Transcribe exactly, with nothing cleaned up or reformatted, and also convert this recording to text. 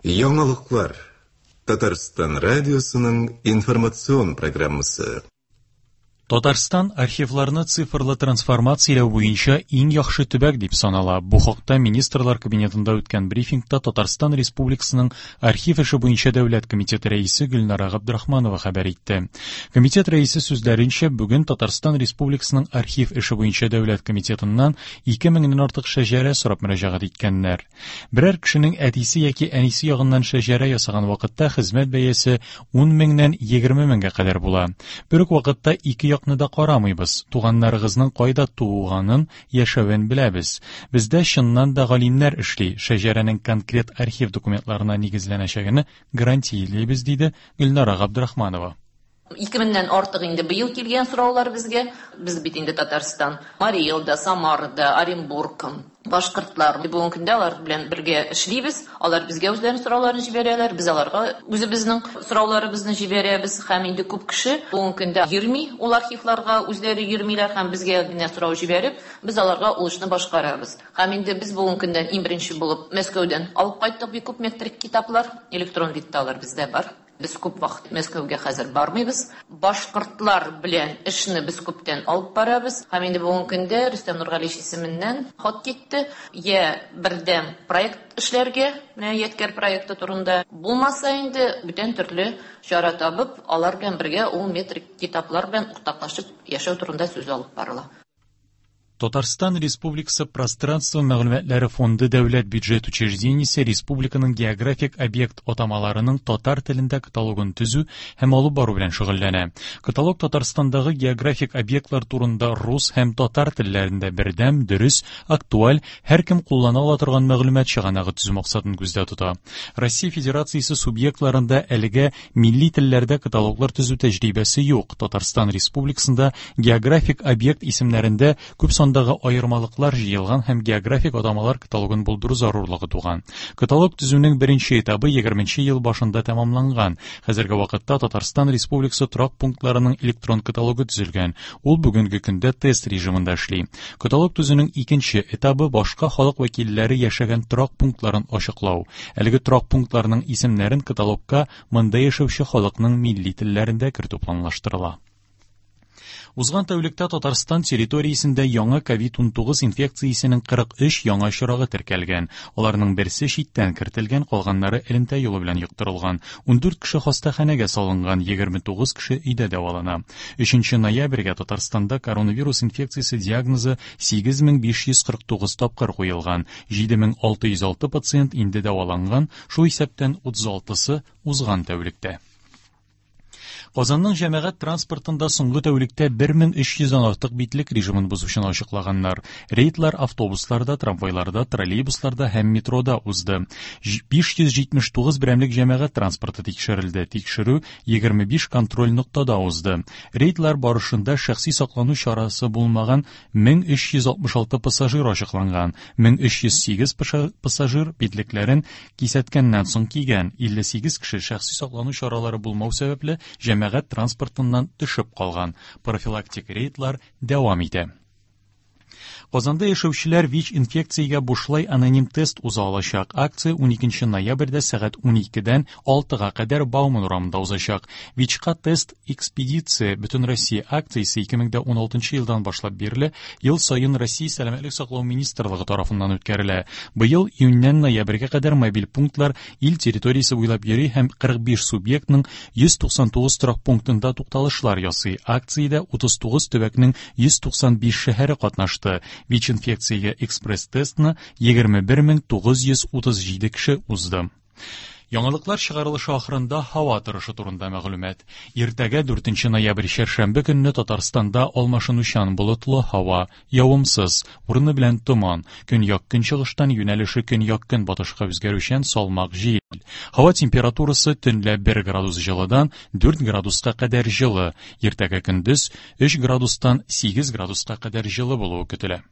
Яңалыклар. Татарстан радиосының информацион программасы. Татарстан архивларны цифрлы трансформацияләү буенча иң яхшы төбәк дип санала. Бу хакта Министрлар Кабинетында үткән брифингта Татарстан Республикасының архив эше буенча дәүләт комитеты рәисе Гөлнара Габдрахманова хәбәр итте. Комитет рәисе сүзләренчә, бүген Татарстан Республикасының архив эше буенча дәүләт комитетыннан ике меңнән артык шәҗәрә сорап мөрәҗәгать иткәннәр. Берәр кешенең әтисе яки әнисе ягыннан шәҗәрә ясаган вакытта хезмәт бәясе ун меңнән егерме меңгә кадәр була. Бер үк вакытта ике якны да карамыйбыз. Туганнарыгызның кайда туганын, яшәвен беләбез. Бездә чыннан да галимнәр эшли. Шәҗәрәнең конкрет архив документларына нигезләнәчәген гарантиялибез, диде Гөлнара Габдрахманова. Ике меңнән артык инде быел килгән сораулар безгә. Без бит инде Татарстан, Марий Элда, Самарада, Оренбург, башкортлар. Бүгенге көндә алар белән бергә эшлибез. Алар безгә үзләренең сорауларын җибәрәләр, без аларга үзебезнең сорауларыбызны җибәрәбез. Һәм инде күп кеше бүгенге көндә йөрми ул архивларга, үзләре йөрмиләр һәм безгә генә сорау җибәреп, без аларга ул эшне башкарабыз. Һәм инде без бүгенге көндә иң беренче булып Мәскәүдән алып кайттык бик күп метрик китаплар, электрон видта алар бездә бар. Без күп вакыт Мәскәүгә хәзер бармыйбыз. Башкортлар белән эшне без күптән алып барабыз. Һәм инде бүгенге көндә Рөстәм Нургалиевич исеменнән хат китте. Я бердәм проект эшләргә, менә Ядкәр проекты турында булмаса инде бүтән төрле чара табып, алар белән бергә ул метрик китаплар белән уртаклашып яшәү турында сүз алып барыла. Татарстан Республикасы Пространство мәгълүматлары фонды дәүләт бюджет учреждениесе республиканың географик объект атамаларының татар телендә каталогын төзү һәм алып бару белән шөгыльләнә. Каталог Татарстандагы географик объектлар турында рус һәм татар телләрендә бердәм, дөрес, актуаль, һәркем куллана ала торган мәгълүмат чыганагы төзү максатын күздә тота. Россия Федерациясе субъектларында әлегә милли телләрдә каталоглар төзү тәҗрибәсе юк. Татарстан Республикасында географик объект исемнәрендә күп сан Дагы аермалыклар җыелган һәм географик атамалар каталогын булдыру зарурлыгы туган. Каталог төзүнең беренче этабы егерменче ел башында тәмамланган. Хәзерге вакытта Татарстан Республикасы торак пунктларының электрон каталогы төзелгән. Ул бүгенге көндә тест режимында эшли. Каталог төзүнең икенче этабы башка халык вәкилләре яшәгән торак пунктларын ачыклау. Әлеге торак пунктларның исемнәрен каталогка монда яшәүче халыкның милли телләрендә кертү планлаштырыла. Узган тәүлектә Татарстан территориясендә яңа ковид унтугыз инфекциясенең кырык өч яңа очрагы теркәлгән. Аларның берсе читтән кертелгән, калганнары элемтә юлы белән йоктырылган. Ундүрт кеше хастаханәгә салынган, егерме тугыз кеше өйдә дәвалана. Өченче ноябрьгә Татарстанда коронавирус инфекциясе диагнозы сигез мең биш йөз кырык тугыз тапкыр куелган. Җиде мең алты йөз алты пациент инде дәваланган, шул исәптән утыз алтысы узган тәүлектә. Казанның җәмәгать транспортында соңгы тәүлектә бер мең өч йөздән артык битлек режимын бозучыны ачыклаганнар. Рейдлар автобусларда, трамвайларда, троллейбусларда һәм метрода узды. Биш йөз җитмеш тугыз берәмлек җәмәгать транспорты тикшерелде. Тикшерү егерме биш контроль ноктада узды. Рейдлар барышында шәхси саклану чарасы булмаган мең өч йөз алтмыш алты пассажир ачыкланган. Мең өч йөз сигез пассажир битлекләрен кисәткәннән соң кигән. Илле сигез кеше шәхси саклану чаралары булмау сәбәпле җәмәгать транспортыннан төшеп калган. Профилактик рейдлар дәвам итә. Казанда яшәүчеләр ВИЧ инфекциягә бушлай аноним тест уза алачак. Акция уникенче ноябрьдә сәгать уникедән алтыга кадәр Бауман урамында узачак. ВИЧка тест экспедиция Бөтен Россия акциясе ике мең дә уналтынчы елдан башлап бирле ел саен Россия Сәламәтлек саклау министрлыгы тарафыннан үткәрелә. Быел июньнән ноябрьгә кадәр мобиль пунктлар ил территориясе буйлап йөри һәм кырык биш субъектның йөз туксан тугыз торак пунктында тукталышлар ясый. Акциядә утыз тугыз төбәкнең йөз туксан биш шәһәре катнашты. ВИЧ инфекциягә экспресс-тестны егерме бер мең тугыз йөз утыз җиде кеше узды. Яңалыклар чыгарылышы ахырында һава торышы турында мәгълүмат. Иртәгә дүртенче ноябрь чәршәмбе көнне Татарстанда алмашынучан болытлы һава, явымсыз, урыны белән томан, көньяк-көнчыгыштан юнәлеше көньяк-көнбатышка үзгәрүчән салмак җил. Һава температурасы төнлә бер градус җылыдан дүрт градуска кадәр җылы, иртәгә көндез өч градустан сигез градуска кадәр җылы булуы көтелә.